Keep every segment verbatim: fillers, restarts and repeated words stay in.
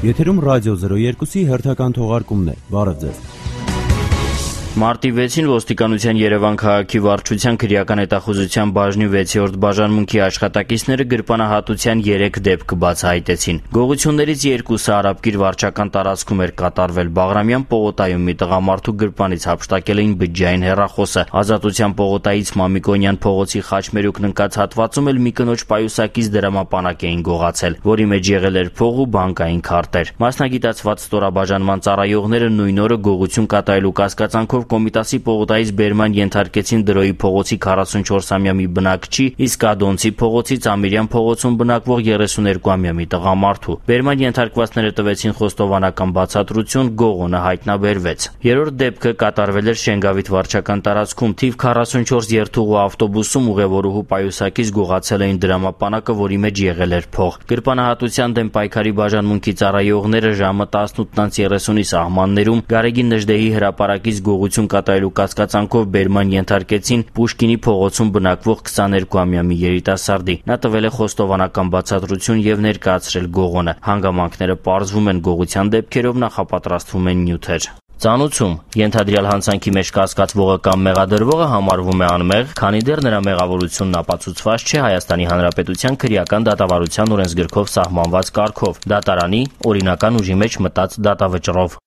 Եթերում ռադիո զրո երկուսի հերթական թողարկումն է։ Բարև ձեզ։ Մարտի վեցին ոստիկանության Երևան քաղաքի վարչության քրեական հետախուզության բաժնի վեցերորդ բաժանմունքի աշխատակիցները գրպանահատության երեք դեպք բացահայտեցին։ Գողություններից երկուսը Արաբկիր վարչական տարածքում էր կատարվել։ Բաղրամյան պողոտայում մի տղամարդու գրպանից հափշտակել էին բջջային հեռախոսը։ Ազատության պողոտայից Մամիկոնյան փողոցի Խաչմերուկն ընկած հատվածում էլ մի կնոջ պայուսակից դրամապանակ էին գողացել, որի մեջ եղել էր փող ու բանկային քարտեր։ Մասնագիտացված ստորաբաժանման ծառայողները նույն օրը գողություն կատարելու կասկածանքով Կոմիտասի պողոտայից բերման ենթարկեցին Դրոյի փողոցի քառասունչորսամյա մի բնակչի, իսկ Ադոնցի փողոցից Ամիրյան փողոցում բնակվող երեսուներկուամյա մի տղամարդու։ Բերման ենթարկվածները տվեցին խոստովանական բացատրություն, գողոնը հայտնաբերվեց։ Երրորդ դեպքը կատարվել էր Շենգավիթ վարչական տարածքում, թիվ քառասունչորս երթուղու ավտոբուսում ուղևորուհու պայուսակից գողացել էին դրամապանակը, որի մեջ եղել էր փող։ Գրպանահատության դեմ պայքարի բաժանմունքի ծառայողները ժամը տասնութ երեսունի սահմաններում Գարեգին Նժդեհի հրապարակից գողություն կատարելու կասկածանքով բերման ենթարկեցին Պուշկինի փողոցում բնակվող քսաներկուամյա մի երիտասարդի։ Նա տվել է խոստովանական բացատրություն եւ ներկայացրել գողոնը։ Հանգամանքները պարզվում են գողության դեպքերով նախապատրաստվում են նյութեր։ Ծանուցում ենթադրյալ հանցանքի մեջ կասկածվողը կամ մեղադրվողը համարվում է անմեղ, քանի դեռ նրա մեղավորությունն ապացուցված չէ Հայաստանի Հանրապետության քրեական դատավարության օրենսգրքով սահմանված կարգով, դատարանի օրինական ուժի մեջ մտած դատավճռով։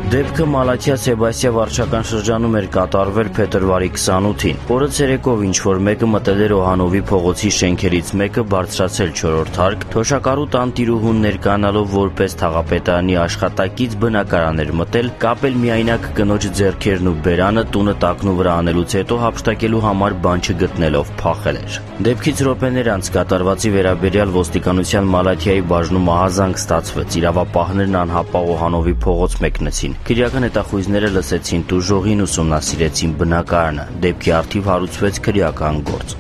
Դեպքը Մալաթիա Սեբաստիա վարչական շրջանում էր կատարվել փետրվարի քսանութին։ Օրը ցերեկով ինչ-որ մեկը մտել էր Օհանովի փողոցի շենքերից մեկը բարձրացել չորրորդ հարկ, թոշակառու տան տիրուհուն ներկայանալով որպես թաղապետարանի աշխատակից բնակարան էր մտել, կապել միայնակ կնոջ ձեռքերն ու բերանը, տունը տակնու վրա անելուց հետո հափշտակելու համար բան չգտնելով փախել էր։ Դեպքից րոպեներ անց կատարվածի վերաբերյալ ոստիկանության Մալաթիայի բաժնում ահազանգ ստացվեց։ Իրավապահներն անհապաղ Օհանովի փողոց մեկնեցին։ Քրեական հետախույզները լսեցին տուժողին, ուսումնասիրեցին բնակարանը։ Դեպքի առթիվ հարուցվեց քրեական գործ։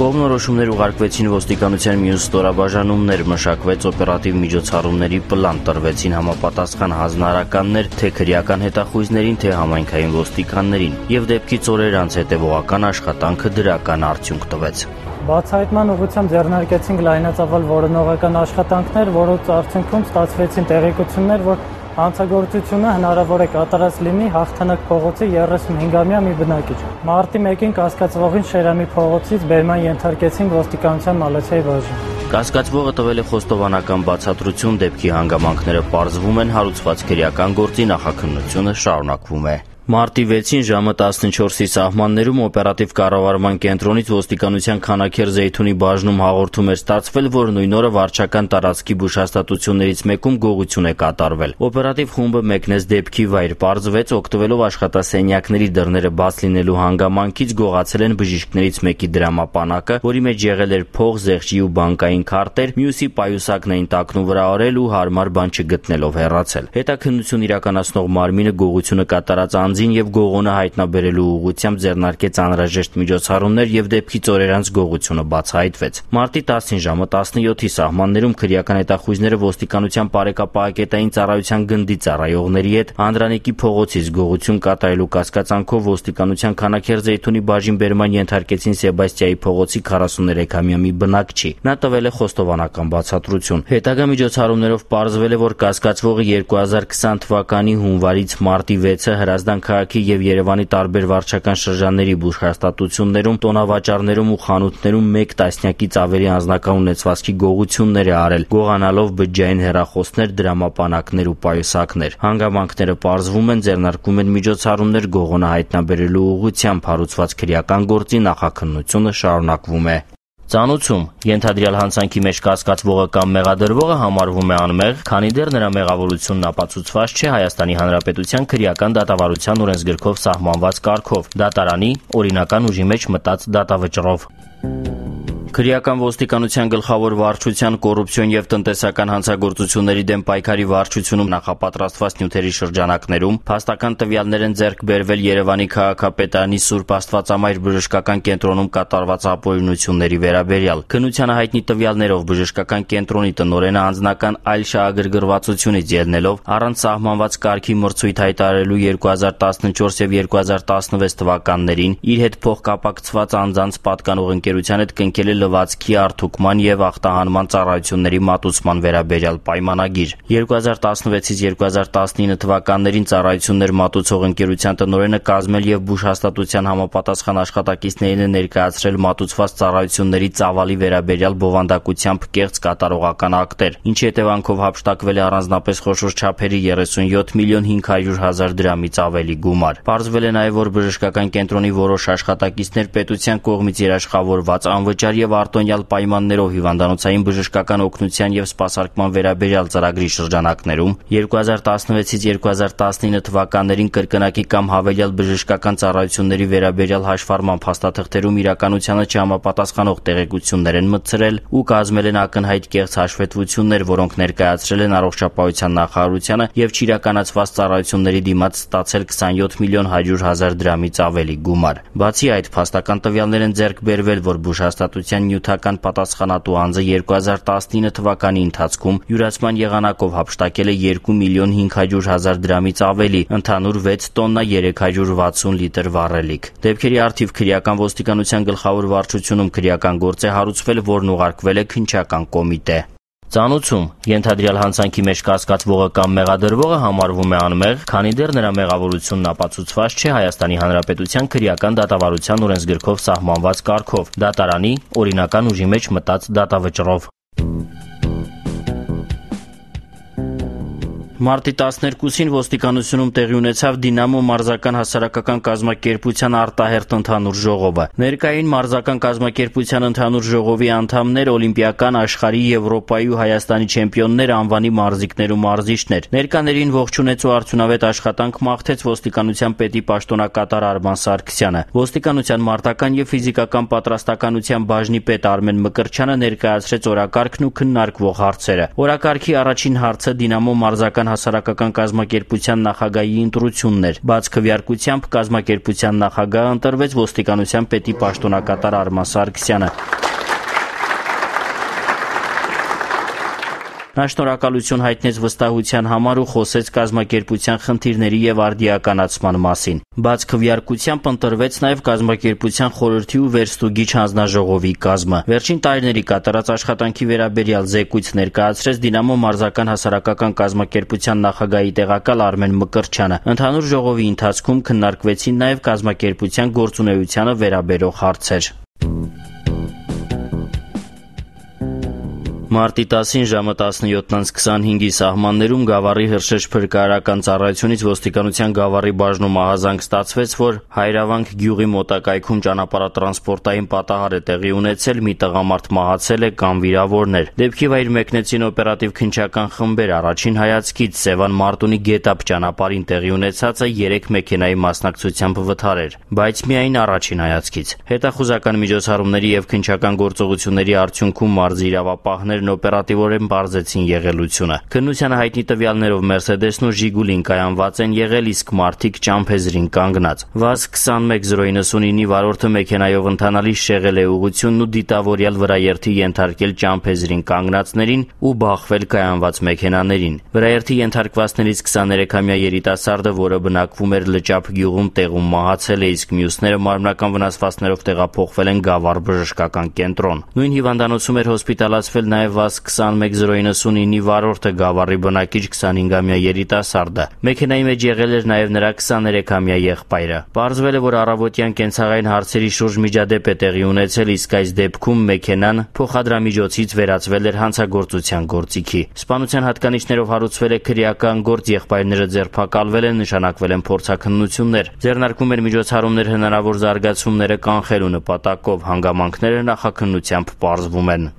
Կողմնորոշումներ ուղարկվեցին ոստիկանության մյուս ստորաբաժանումներ, մշակվեց օպերատիվ միջոցառումների պլան, տրվեցին համապատասխան հանձնարարականներ թե քրեական հետախույզներին, թե համայնքային ոստիկաններին, եւ դեպքից օրեր անց հետեւողական աշխատանքը դրական արդյունք տվեց։ Բացահայտման ուղղությամբ ձեռնարկեցինք լայնածավալ որոնողական աշխատանքներ, որոնց արդյունքում ստացվեցին տեղեկություններ, որ հանցագործությունը հնարավոր է կատարած լինի Հաղթանակ փողոցի երեսունհինգամյա մի բնակիչ։ Մարտի մեկին կասկածվողին Շերամի փողոցից բերման ենթարկեցին ոստիկանության Մալաթիայի բաժին։ Կասկածվողը տվել է խոստովանական բացատրություն, դեպքի հանգամանքները պարզվում են, հարուցված քրեական գործի նախաքննությունը շարունակվում է։ Մարտի վեցին ժամը տասնչորսի սահմաններում օպերատիվ կառավարման կենտրոնից ոստիկանության Քանաքեր Զեյթունի բաժնում հաղորդում էր ստացվել, որ նույն օրը վարչական տարածքի բուժհաստատություններից մեկում գողություն է կատարվել։ Օպերատիվ խումբը մեկնեց դեպքի վայր, պարզվեց օգտվելով աշխատասենյակների դռները բաց լինելու հանգամանքից գողացել են բժիշկներից մեկի դրամապանակը, որի մեջ եղել էր փող, զեղչի ու բանկային քարտեր, մյուսի պայուսակն էին տակնու վրա արել ու հարմար բան չգտնելով հեռացել։ Հետաքննություն իրականացնող մարմինը գողությունը կատարած անձին եւ գողոնը հայտնաբերելու ուղղությամբ ձեռնարկեց անհրաժեշտ միջոցառումներ եւ դեպքից օրեր անց գողությունը բացահայտվեց։ Մարտի տասին ժամը տասնյոթի սահմաններում քրեական հետախույզները ոստիկանության բարեկապահակետային ծառայության գնդի ծառայողների հետ Անդրանիկի փողոցից գողություն կատարելու կասկածանքով ոստիկանության Քանաքեր Զեյթունի բաժին բերման ենթարկեցին Սեբաստիայի փողոցի քառասուներեքամյա մի բնակչի։ Նա տվել է խոստովանական բացատրություն։ Հետագա միջոցառումներով պարզվել է, որ կասկածվողը երկու հազար քսան թվականի հունվարից մարտի վեցը Հրազդան քաղաքի եւ Երևանի տարբեր վարչական շրջանների բուժհաստատություններում, տոնավաճառներում ու խանութներում մեկ տասնյակից ավելի անձնական ունեցվածքի գողություններ է արել, գողանալով բջջային հեռախոսներ, դրամապանակներ ու պայուսակներ։ Հանգամանքները պարզվում են, ձեռնարկվում են միջոցառումներ գողոնը հայտնաբերելու ուղղությամբ, հարուցված քրեական գործի նախաքննությունը շարունակվում է։ Ծանուցում ենթադրյալ հանցանքի մեջ կասկածվողը կամ մեղադրվողը համարվում է անմեղ, քանի դեռ նրա մեղավորությունն ապացուցված չէ Հայաստանի Հանրապետության քրեական դատավարության օրենսգրքով սահմանված կարգով, դատարանի օրինական ուժի մեջ մտած դատավճռով։ Քրեական ոստիկանության գլխավոր վարչության կոռուպցիոն եւ տնտեսական հանցագործությունների դեմ պայքարի վարչությունում նախապատրաստված նյութերի շրջանակներում փաստական տվյալներ են ձեռք բերվել Երևանի քաղաքապետարանի Սուրբ Աստվածամայր բժշկական կենտրոնում կատարված ապօրինությունների վերաբերյալ։ Քննությանը հայտնի տվյալներով բժշկական կենտրոնի տնօրենը անձնական այլ շահագրգռվածությունից ելնելով առանց սահմանված կարգի մրցույթ հայտարարելու երկու հազար տասնչորս եւ երկու հազար տասնվեց թվականներին իր հետ փոխկապակցված անձանց պատկանող ընկերության հետ կնքել լվացքի արդյունքման եւ ախտահանման ծառայությունների մատուցման վերաբերյալ պայմանագիր։ երկու հազար տասնվեցից երկու հազար տասնինը թվականներին ծառայություններ մատուցող ընկերության տնօրենը կազմել եւ բուժհաստատության համապատասխան աշխատակիցներին է ներկայացրել մատուցված ծառայությունների ծավալի վերաբերյալ բովանդակությամբ կեղծ կատարողական ակտեր, ինչի հետևանքով հափշտակվել է առանձնապես խոշոր չափերի երեսունյոթ միլիոն հինգ հարյուր հազար դրամից ավելի գումար։ Պարզվել է նաեւ, որ բժշկական կենտրոնի որոշ աշխատակիցներ պետության կողմից երաշխավորված անվճար եւ արտոնյալ պայմաններով հիվանդանոցային բժշկական օգնության եւ սպասարկման վերաբերյալ ծրագրի շրջանակներում երկու հազար տասնվեցից երկու հազար տասնինը թվականներին կրկնակի կամ հավելյալ բժշկական ծառայությունների վերաբերյալ հաշվառման փաստաթղթերում իրականությանը չհամապատասխանող տեղեկություններ են մտցրել ու կազմել են ակնհայտ կեղծ հաշվետվություններ, որոնք ներկայացրել են առողջապահության նախարարությանը եւ չիրականացված ծառայությունների դիմաց ստացել քսանյոթ միլիոն հարյուր հազար դրամից ավելի գումար։ Բացի այդ, փաստական տվյալներ են ձեռք բերվել, որ բուժհաստատության նյութական պատասխանատու անձը երկու հազար տասնինը թվականի ընթացքում յուրացման եղանակով հափշտակել է երկու միլիոն հինգ հարյուր հազար դրամից ավելի, ընդհանուր վեց տոննա երեք հարյուր վաթսուն լիտր վառելիք։ Դեպքերի առթիվ քրեական ոստիկանության գլխավոր վարչությունում քրեական գործ է հարուցվել, որն ուղարկվել է քննչական կոմիտե։ Ծանուցում ենթադրյալ հանցանքի մեջ կասկածվողը կամ մեղադրվողը համարվում է անմեղ, քանի դեռ նրա մեղավորությունն ապացուցված չէ Հայաստանի Հանրապետության քրեական դատավարության օրենսգրքով սահմանված կարգով, դատարանի օրինական ուժի մեջ մտած դատավճռով։ Մարտի տասներկուսին ոստիկանությունում տեղի ունեցավ Դինամո մարզական հասարակական կազմակերպության արտահերթ ընդհանուր ժողովը։ Ներկային մարզական կազմակերպության ընդհանուր ժողովի անդամներ օլիմպիական, աշխարհի, Եվրոպայի ու Հայաստանի չեմպիոններ, անվանի մարզիկներ ու մարզիչներ։ Ներկաներին ողջունեց ու արդյունավետ աշխատանք մաղթեց ոստիկանության պետի պաշտոնակատար Արման Սարգսյանը։ Ոստիկանության մարտական եւ ֆիզիկական պատրաստականության բաժնի պետ Արմեն Մկրտչյանը ներկայացրեց օրակարգն ու քննարկվող հարցերը։ Օրակարգի առաջին հարցը Դինամո մարզական հասարակական կազմակերպության նախագահի ընտրությունն էր։ Բաց քվեարկությամբ կազմակերպության նախագահը ընտրվեց ոստիկանության պետի պաշտոնակատար Արման Սարգսյանը։ Նա շնորհակալություն հայտնեց վստահության համար ու խոսեց կազմակերպության խնդիրների եւ արդիականացման մասին։ Բաց քվեարկությամբ ընտրվեց նաեւ կազմակերպության խորհրդի ու վերստուգիչ հանձնաժողովի կազմը։ Վերջին տարիների կատարած աշխատանքի վերաբերյալ զեկույց ներկայացրեց Դինամո մարզական հասարակական կազմակերպության նախագահի տեղակալ Արմեն Մկրտչյանը։ Ընդհանուր ժողովի ընթացքում քննարկվեցին նաեւ կազմակերպության գործունեությանը վերաբերող հարցեր։ Մարտի տասին ժամը տասնյոթից քսանհինգի սահմաններում Գավառի Հրշեջ փրկարարական ծառայությունից ոստիկանության Գավառի բաժնում ահազանգ ստացվեց, որ Հայրավանք գյուղի մոտակայքում ճանապարհատրանսպորտային պատահար է տեղի ունեցել, մի տղամարդ մահացել է կամ վիրավորն էր։ Դեպքի վայր մեկնեցին օպերատիվ քննչական խմբեր, առաջին հայացքից Սևան Մարտունի Գետափ ճանապարհին տեղի ունեցածը երեք մեքենայի մասնակցությամբ վթար էր, բայց միայն առաջին հայացքից։ Հետախուզական միջոցառումների եւ քննչական գործողությունների արդյունքում մարզի իրավապահներ օպերատիվորեն բարձեցին եղելությունը։ Քննությանը հայտնի տվյալներով Մերսեդեսն ու Ժիգուլին կայանված են եղել, իսկ մարդիկ ճամփեզրին կանգնած։ վազ քսանմեկ զրո նվսունինի վարորդը մեքենայով ընթանալիս շեղել է ուղղությունն ու դիտավորյալ վրաերթի ենթարկել ճամփեզրին կանգնածներին ու բախվել կայանված մեքենաներին։ Վրաերթի ենթարկվածներից քսաներեքամյա երիտասարդը, որը բնակվում էր Լճափ գյուղում, տեղում մահացել է, իսկ մյուսները մարմնական վնասվածքներով տեղափոխվել են Գավառ բժշկական կենտրոն։ Նույն հիվանդանոցում էր հոսպիտալացվել նաեւ վազ քսանմեկ զրո նվսունինի վարորդը Գավառի բնակիչ քսանհինգամյա երիտասարդը։ Մեքենայի մեջ եղել էր նաեւ նրա քսաներեքամյա եղբայրը։ Պարզվել է, որ առավոտյան կենցաղային հարցերի շուրջ միջադեպ է տեղի ունեցել, իսկ այս դեպքում մեքենան փոխադրամիջոցից վերածվել էր հանցագործության գործիքի։ Սպանության հատկանիշներով հարուցվել է քրեական գործ, եղբայրները ձերբակալվել են, նշանակվել են փորձաքննություններ։ Ձեռնարկվում էր միջոցառումներ հնարավոր զարգացումները կանխելու նպատակով, հանգամանքները նախաքննությամբ պարզվում են։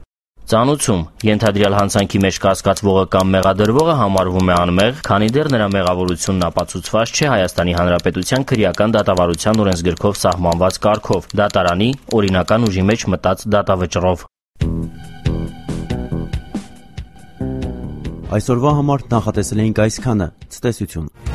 Ծանուցում ենթադրյալ հանցանքի մեջ կասկածվողը կամ մեղադրվողը համարվում է անմեղ, քանի դեռ նրա մեղավորությունն ապացուցված չէ Հայաստանի Հանրապետության քրեական դատավարության օրենսգրքով սահմանված կարգով՝ դատարանի օրինական ուժի մեջ մտած դատավճռով։ Այսօրվա համար նախատեսել էինք այսքանը։ Ցտեսություն։